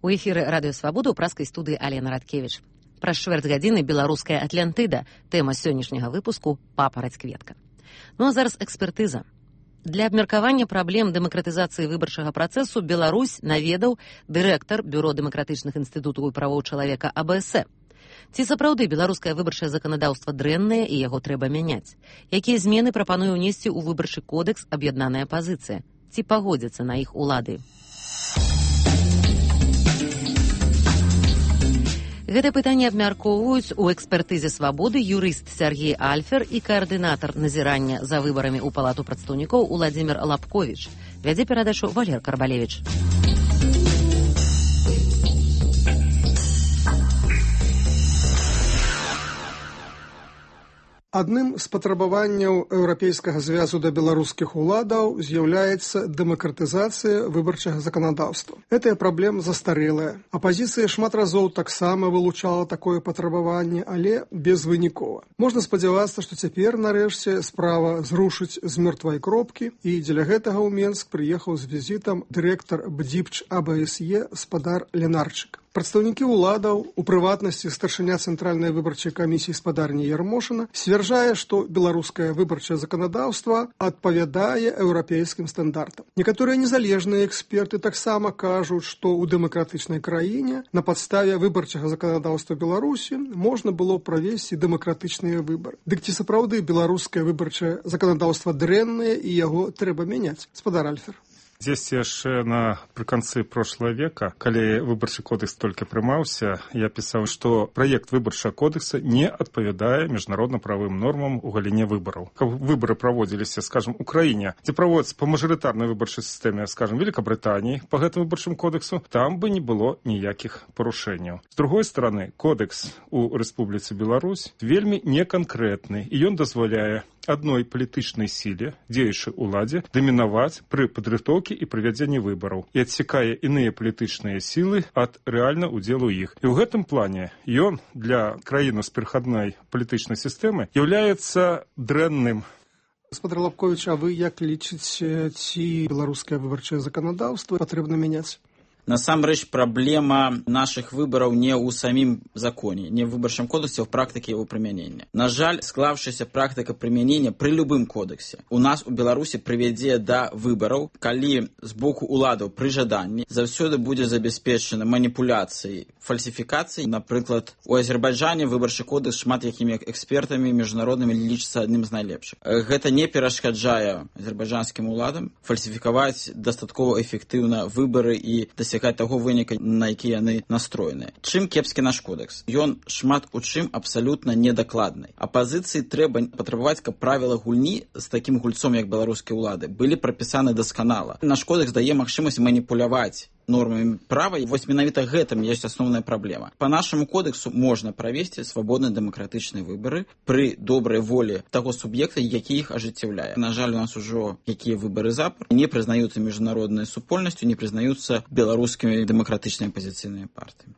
У эфіры радыёвабода ў праскай студыі Алена Радкевіч. Праз чвэрць гадзіны беларуская Атлантыда. Тэма сённяшняга выпуску папараць-кветка. Ну а зараз экспертыза. Для абмеркавання праблем дэмакратызацыі выбарчага працэсу Беларусь наведаў дырэктар Бюро дэмакратычных інстытутаў і правоў чалавека АБС. Ці сапраўды беларускае выбарчае заканадаўства дрэннае і яго трэба мяняць? Якія змены прапануе ўнесці ў выбарчы кодэкс аб'яднаная апазіцыя? Ці пагодзяцца на іх улады? Гэта пытанне абмяркоўваюць у экспертызе свабоды юрыст Сергей Альфер і каардынатар назірання за выбарамі ў палату прадстаўнікоў Уладзімір Лапковіч. Вядзе перадачу Валер Карбалевіч. Адным з патрабаванняў Еўрапейскага звязу да беларускіх уладаў з'яўляецца дэмакратызацыя выбарчага заканадаўства. Гэтая праблема застарэлая. Апазіцыя шмат разоў таксама вылучала такое патрабаванне, але безвынікова. Можна спадзявацца, што цяпер, нарэшце, справа зрушыць з мёртвай кропкі, і дзеля гэтага ў Менск прыехаў з візітам дырэктар БДІПЧ АБСЕ спадар Ленарчык. Прадстаўнікі ўладаў, у прыватнасці старшыня Цэнтральнай выбарчай камісіі спадарні Ярмошына, сцвярджае, што беларускае выбарчае заканадаўства адпавядае еўрапейскім стандартам. Некаторыя незалежныя эксперты таксама кажуць, што ў дэмакратычнай краіне на падставе выбарчага заканадаўства Беларусі можна было правесці дэмакратычныя выбары. Дык ці сапраўды беларускае выбарчае заканадаўства дрэннае і яго трэба мяняць? Спадар Альфер. Здесь яшчэ напрыканцы прошлого века, калі выбарчы кодекс толькі прымаўся, я пісаў, што праект выбарчага кодекса не адпавядае міжнародна-правым нормам у галіне выбараў. Каб выбары праводзіліся, скажем, у краіне, дзе праводзяцца па мажарытарнай выбарчай сістэме, скажем, Великабрытаніі, па гэтаму выбарчым кодексу, там бы не было ніякіх парушэнняў. З другой стороны, кодекс у Рэспубліцы Беларусь вельмі неканкрэтны, і ён дазваляе адной палітычнай сіле, дзеючай уладзе, дамінаваць пры падрыхтоўкі і правядзенні выбараў і адсекае іныя палітычныя сілы ад рэальна удзелу іх. І ў гэтым плане ён для краіны з перахадной палітычнай сістэмы з'яўляецца дрэнным. Спадар Лапковіч, а вы як лічыце, ці беларускае выбарчае заканадаўства патрэбна мяняць? Насамрэч, праблема нашых выбараў не ў самім законе, не ў выбарчым кодексе, а ў практыке яго прымянення. На жаль, склаўшаяся практыка прымянення пры любым кодексе у нас у Беларусі прывядзе да выбараў, калі з боку уладаў пры жаданні заўсёды будзе забяспечана маніпуляцыяй, фальсіфікацыяй. Напрыклад, у Азербайджане выбарчы кодекс шмат якімі экспертамі міжнароднымі лічыцца адным з найлепшых. Гэта не перашкаджае азербайджанскім уладам фальсіфікаваць дастаткова эфектыўна выбары і дасягаць таго выніка, на які яны настроеныя. Чым кепскі наш кодекс? Ён шмат у чым абсалютна недакладны. Апазіцыі трэба патрабаваць, каб правіла гульні з такім гульцом, як беларускія ўлады, былі прапісаны дасканала. Наш кодекс дае магчымасць маніпуляваць нормамі права, і вось менавіта гэтым ёсць асноўная праблема. Па нашаму кодексу можна правесці свабодныя дэмакратычныя выбары пры добрай волі таго суб'екта, які іх ажыццяўляе. На жаль, у нас ужо якія выбары запар не прызнаюцца міжнароднай супольнасцю, не прызнаюцца беларускімі дэмакратычнымі апазіцыйнымі партыямі.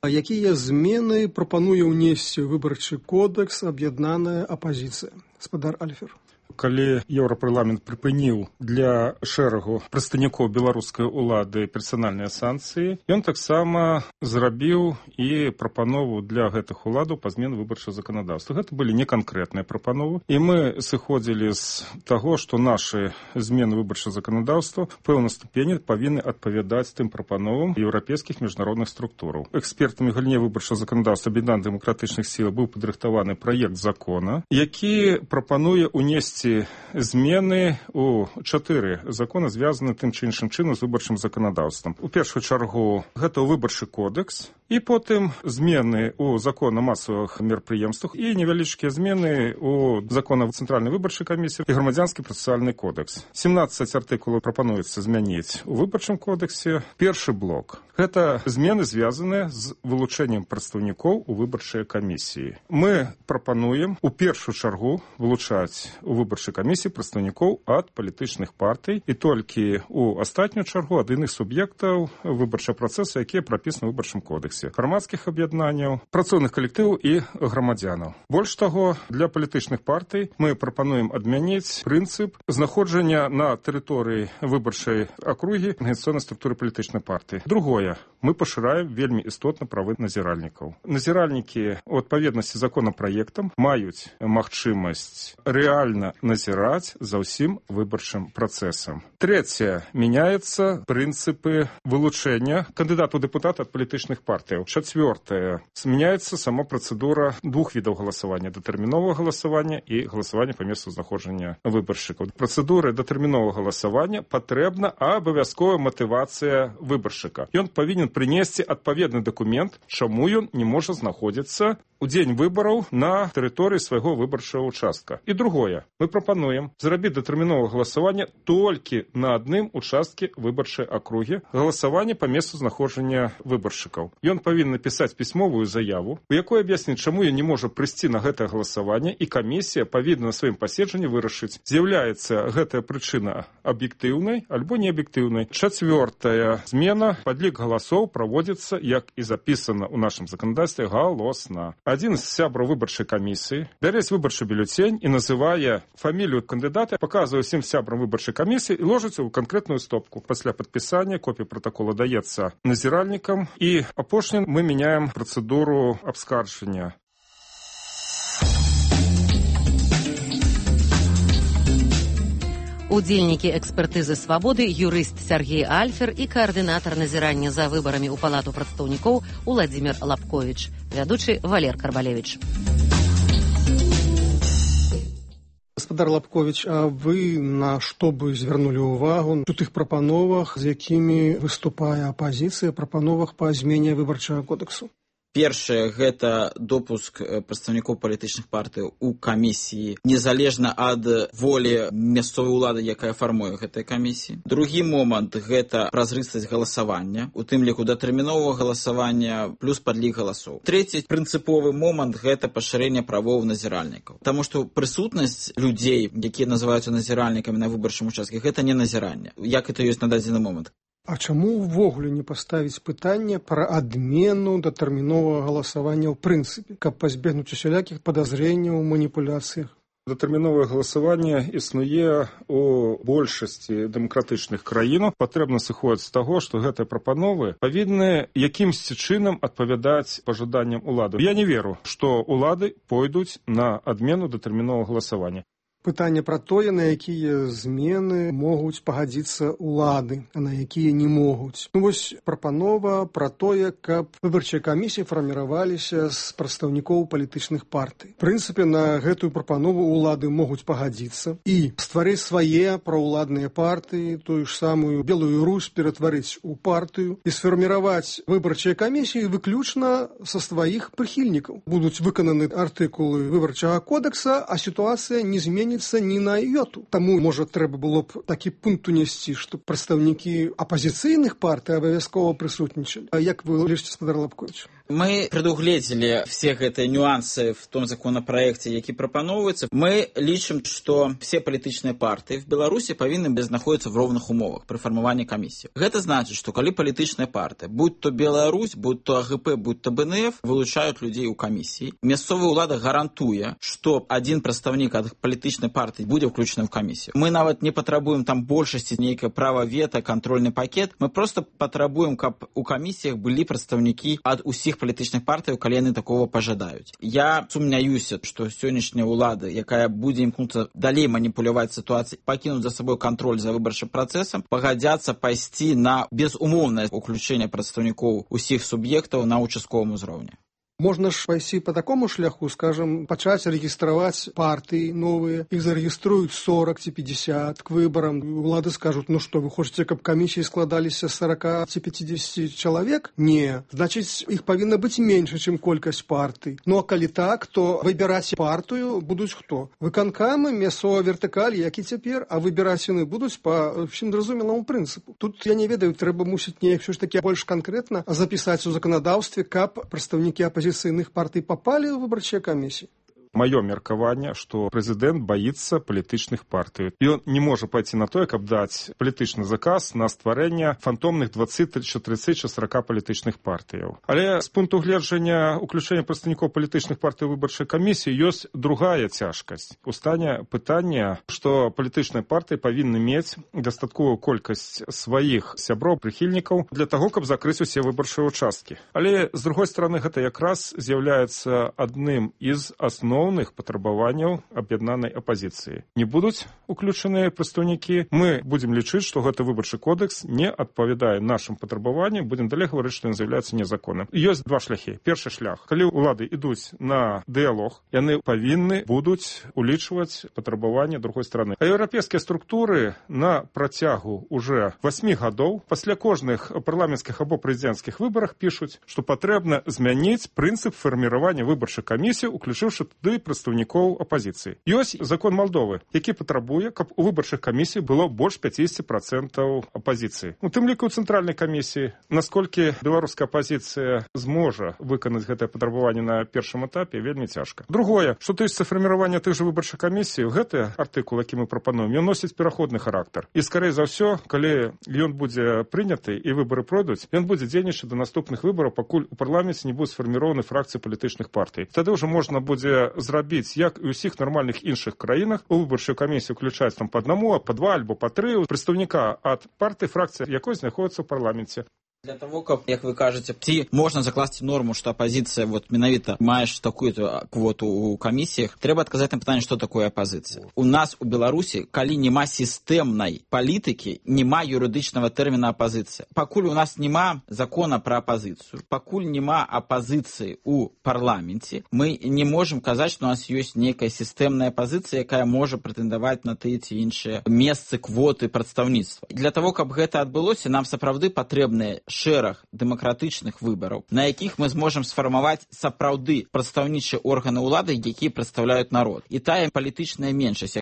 А якія змены прапануе ўнесці выбарчы кодекс аб'яднаная апазіцыя? Спадар Альфер. Калі Еўрапарламент прыпыніў для шэрагу прадстаўнікоў беларускай улады персанальныя санкцыі, ён таксама зрабіў і прапанову для гэтых уладаў па змене выбарчага заканадаўства. Гэта былі неканкрэтныя прапановы, і мы сыходзілі з таго, што нашы змены выбарчага заканадаўства ў пэўнай ступені павінны адпавядаць тым прапановам еўрапейскіх міжнародных структураў. Экспертамі галіне выбарчага заканадаўства аб'яднаных дэмакратычных сіл быў падрыхтаваны праект закона, які прапануе ўнесці змены у 4 законы, звязаны тым ці іншым чынам з выбарчым заканадаўствам. У першую чаргу гэта выбарчы кодекс, і потым змены ў закон о масавых мерапрыемствах і невялічкія змены ў закон о Цэнтральнай выбарчай камісіі і грамадзянскі працэсуальны кодекс. 17 артыкулаў прапануецца змяніць у выбарчым кодексе. Першы блок – гэта змены, звязаныя з вылучэннем прадстаўнікоў у выбарчай камісіі. Мы прапануем у першую чаргу вылучаць у выбарчай камісіі прадстаўнікоў ад палітычных партый і толькі у астатнюю чаргу ад іных суб'ектаў выбарчага працэсу, якія прапісаны ў выбарчым кодексе. кодэксе грамадскіх аб'яднанняў, працоўных калектываў і грамадзянаў. Больш таго, для палітычных партый мы прапануем адмяніць прынцып знаходжання на тэрыторыі выбарчай акругі арганізацыйнай структуры палітычнай партыі. Другое, мы пашыраем вельмі істотна правы назіральнікаў. Назіральнікі у адпаведнасці з законапраектам маюць магчымасць рэальна назіраць за ўсім выбарчым працэсам. Трэцяе, мяняецца прынцыпы вылучэння кандыдатаў дэпутата ад палітычных партыяў. Чацвёртае, змяняецца сама працэдура двух відаў галасавання: датэрміновага галасавання і галасавання па месцу знаходжання выбаршчыкаў. Працэдуры датэрміновага галасавання патрэбна абавязковая матывацыя выбаршчыка. Ён павінен прынесці адпаведны дакумент, чаму ён не можа знаходзіцца у дзень выбараў на тэрыторыі свайго выбарчага участка. І другое, мы прапануем зрабіць датэрміновае галасаванне толькі на адным участкі выбарчай акругі, галасаванне па месцу знаходжання выбаршчыкаў. Ён павінен напісаць пісьмовую заяву, у якой аб'ясніць, чаму ён не можа прыйсці на гэтае галасаванне, і камісія павінна на сваім паседжанні вырашыць, з'яўляецца гэтая прычына аб'ектыўнай альбо неаб'ектыўнай. Чацвёртая змена, падлік галасоў праводзіцца, як і запісана ў нашым заканадаўстве, галосна. Адзін з сябраў выбарчай камісіі бярэць выбарчы бюлетень і называе фамілію кандыдата, паказвае ўсім сябрам выбарчай камісіі і ложыцца ў канкрэтную стопку. Пасля падпісання копія пратакола даецца назіральнікам, і апошнім мы мяняем працэдуру абскарджання. Удзельнікі экспертызы «Свабоды» юрыст Сергей Альфер і каардынатар назірання за выбарамі ў Палату прадстаўнікоў Уладзімір Лапковіч, вядучы Валер Карбалевіч. Гаспадар Лапковіч, а вы на што бы звярнулі ўвагу у тых прапановах, з якімі выступае апазіцыя, прапановах па змене выбарчага кодэксу? Першае, гэта допуск прадстаўнікоў палітычных партый у камісіі, незалежна ад волі мясцовай улады, якая фармуе гэтыя камісіі. Другі момант, гэта празрыстасць галасавання, у тым ліку датэрміновага галасавання плюс падлік галасоў. Трэці прынцыповы момант, гэта пашырэнне правоў назіральнікаў. Таму што прысутнасць людзей, якія называюцца назіральнікамі на выбарчым участку, гэта не назіранне, як это ёсць на дадзены момант. А чаму ўвогуле не паставіць пытанне пра адмену датэрміновага галасавання ў прынцыпе, каб пазбегнуць усялякіх падазрэнняў у маніпуляцыях? Датэрміновае галасаванне існуе ў большасці дэмакратычных краін. Патрэбна сыходзіць з таго, што гэтыя прапановы павінны якімсьці чынам адпавядаць пажаданням улады. Я не веру, што улады пойдуць на адмену датэрміновага галасавання. Пытанне пра тое, на якія змены могуць пагадзіцца ўлады, а на якія не могуць. Вось прапанова пра тое, каб выбарчыя камісіі фарміраваліся з прадстаўнікоў палітычных партый. В прынцыпе, на гэтую прапанову ўлады могуць пагадзіцца і стварыць свае праўладныя партыі, тую ж самую Белую Русь ператварыць у партыю і сфарміраваць выбарчыя камісіі выключна са сваіх прыхільнікаў. Будуць выкананы артыкулы выбарчага кодекса, а сітуацыя не зменіцца ні на йоту. Таму, можа, трэба было б такі пункт унесці, што прадстаўнікі апазіцыйных партый абавязкова прысутнічалі. А як вы лічыце, гаспадар Лапковіч? Мы предугледзелі все гэтыя нюансы в том законопроекте, які прапаноўваецца. Мы лічым, што все палітычныя партыі в Беларусі павінны знаходзіцца в роўных умовах пры фармаванні камісіі. Гэта значыць, што калі палітычная партыя, будь то Беларусь, будь то АГП, будь то БНФ, вылучаюць людзей у камісіі, мясцовая ўлада гарантуе, што адзін прадстаўнік ад палітычнай партыі будзе ўключаны ў камісію. Мы нават не патрабуем там большасці нейкае права вета, кантрольны пакет. Мы просто патрабуем, каб у камісіях былі прадстаўнікі ад усіх палітычных партый, калі яны такого пажадаюць. Я сумняюся, што сённяшняя ўлада, якая будзе імкнуцца далей маніпуляваць сітуацыяй, пакінуць за сабой кантроль за выбарчым працэсам, пагадзяцца пайсці на безумоўнае ўключэнне прадстаўнікоў усіх суб'ектаў на участковым узроўні. Можна ж пайсці по такому шляху, скажем, пачаць рэгістраваць партыі новыя, іх зарэгіструюць 40 ці 50 к выбарам. Улады скажуць, ну што, вы хочаце, каб камісіі складаліся 40 ці 50 чалавек? Не. Значыць, іх павінна быць менш, чым колькасць партый. Ну а калі так, то выбіраць партыю будуць хто? Выканкамы, мясцовая вертыкаль, як і цяпер, а выбіраць яны будуць па ўсім зразумелому прынцыпу. Тут, я не ведаю, трэба мусіць неяк ўсё ж такі больш канкрэтна запісаць у заканадаўстве, каб прадстаўнікі апазіцыйных партый попали в выборчие комиссии? маё меркаванне, што прэзідэнт баіцца палітычных партый. Ён не можа пайти на тое, каб даць палітычны заказ на стварэнне фантомных 20, 30 чи 40 палітычных партыяў. Але з пункту гледжання уключэння прадстаўнікоў палітычных партый у выбарчай камісіі ёсць другая цяжкасць. Устане пытанне, што палітычныя партыі павінны мець дастатковую колькасць сваіх сяброў, прыхільнікаў для таго, каб закрыць усе выбарчыя участкі. Але, з другой стороны, гэта якраз з'яўляецца адным з асноўных патрабаванняў аб'яднанай апазіцыі. Не будуць уключаныя прадстаўнікі, мы будзем лічыць, што гэты выбарчы кодекс не адпавядае нашым патрабаванням, будзем далей гаварыць, што ён з'яўляецца незаконным. Ёсць два шляхі. Першы шлях. Калі ўлады ідуць на дыялог, яны павінны будуць улічваць патрабаванні другой стороны. А еўрапейскія структуры на працягу уже 8 гадоў пасля кожных парламенцкіх або прэзідэнцкіх выбарах пішуць, што патрэбна змяніць прынцып фарміравання выбарчай камісіі, уключыўшы туды прадстаўнікоў апазіцыі. Ёсць закон Малдовы, які патрабуе, каб у выбарчых камісій было больш 50% апазіцыі. У тым ліку ў цэнтральнай камісіі, насколькі беларуская апазіцыя зможа выканаць гэтае патрабаванне на першым этапе, вельмі цяжка. Другое, што тычыцца фарміравання тых жа выбарчых камісій, гэты артыкул, які мы прапануем, ён носіць пераходны характар. І скорей за ўсё, калі ён будзе прыняты і выбары пройдуць, ён будзе дзейнічаць да наступных выбараў, пакуль у парламенце не будуць сфарміраваны фракцыі палітычных партый. Тады ўжо можна будзе зрабіць, як і ў усіх нармальных іншых краінах, у выбарчую камісію включаць там па аднаму, па два альбо па тры прадстаўніка ад партыі, фракцыі якой знаходзіцца ў парламенце. Для того, как, як вы кажете, ці можна закласці норму, што апазіцыя менавіта маеш такую-то квоту ў камісіях, трэба адказаць на пытанне, што такое апазіцыя. У нас у Беларусі, калі няма сістэмнай палітыкі, няма юрыдычнага тэрміна апазіцыя. Пакуль у нас няма закона пра апазіцыю, пакуль няма апазіцыі ў парламенце, мы не можам казаць, што у нас ёсць нейкая сістэмная апазіцыя, якая можа прэтэндаваць на тыя ці іншыя месцы, квоты прадстаўніцтва. Для того, каб гэта адбылося, нам сапраўды патрэбныя шэраг дэмакратычных выбараў, на якіх мы зможам сфармаваць сапраўды прадстаўнічыя органы ўлады, якія прадстаўляюць народ. І тая палітычная меншасць,